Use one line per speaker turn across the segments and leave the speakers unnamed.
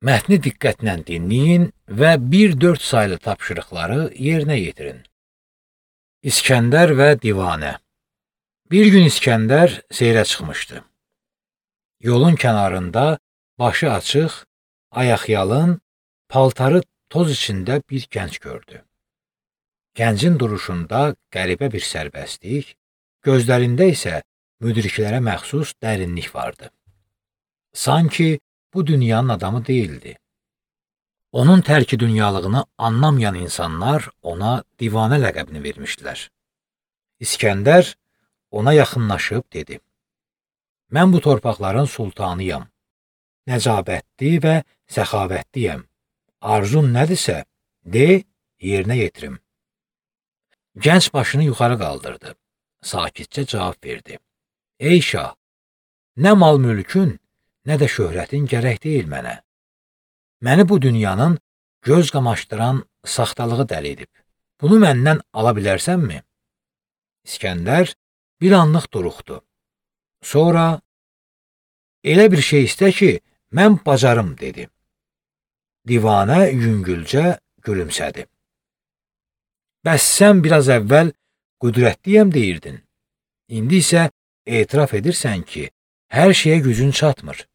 Mətni diqqətlə dinləyin və 1-4 saylı tapşırıqları yerinə yetirin. İskəndər və Divanə. Bir gün İskəndər seyrə çıxmışdı. Yolun kənarında başı açıq, ayaqyalın, paltarı toz içində bir gənc gördü. Gəncin duruşunda qəribə bir sərbəstlik, gözlərində isə müdriklərə məxsus dərinlik vardı. Sanki bu dünyanın adamı değildi. Onun tərki dünyalığını anlamayan insanlar ona divanə ləqəbini vermişdilər. İskəndər ona yaxınlaşıb dedi: "Mən bu torpaqların sultanıyam. Nəcabətli və səxavətliyəm. Arzun nədirsə, de, yerinə yetirim." Gənc başını yuxarı qaldırdı. Sakitcə cavab verdi: "Ey şah, nə mal mülkün, nə də şöhrətin gərək deyil mənə. Məni bu dünyanın göz qamaşdıran saxtalığı dəli edib. Bunu məndən ala bilərsənmi?" İskəndər bir anlıq duruxdu. Sonra, "Elə bir şey istə ki, mən bacarım," dedi. Divanə yüngülcə gülümsədi. "Bəs sən biraz əvvəl qüdrətliyəm deyirdin. İndi isə etiraf edirsən ki, hər şeyə gücün çatmır.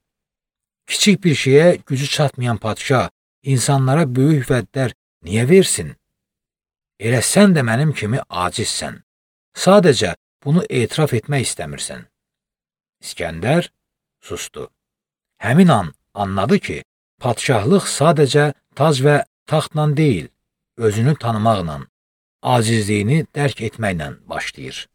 Kiçik bir şeyə gücü çatmayan padşah insanlara böyük vədlər niyə versin? Elə sən də mənim kimi acizsən. Sadəcə bunu etiraf etmək istəmirsən." İskəndər sustu. Həmin an anladı ki, padşahlıq sadəcə tac və taxtla deyil, özünü tanımaqla, acizliyini dərk etməklə başlayır.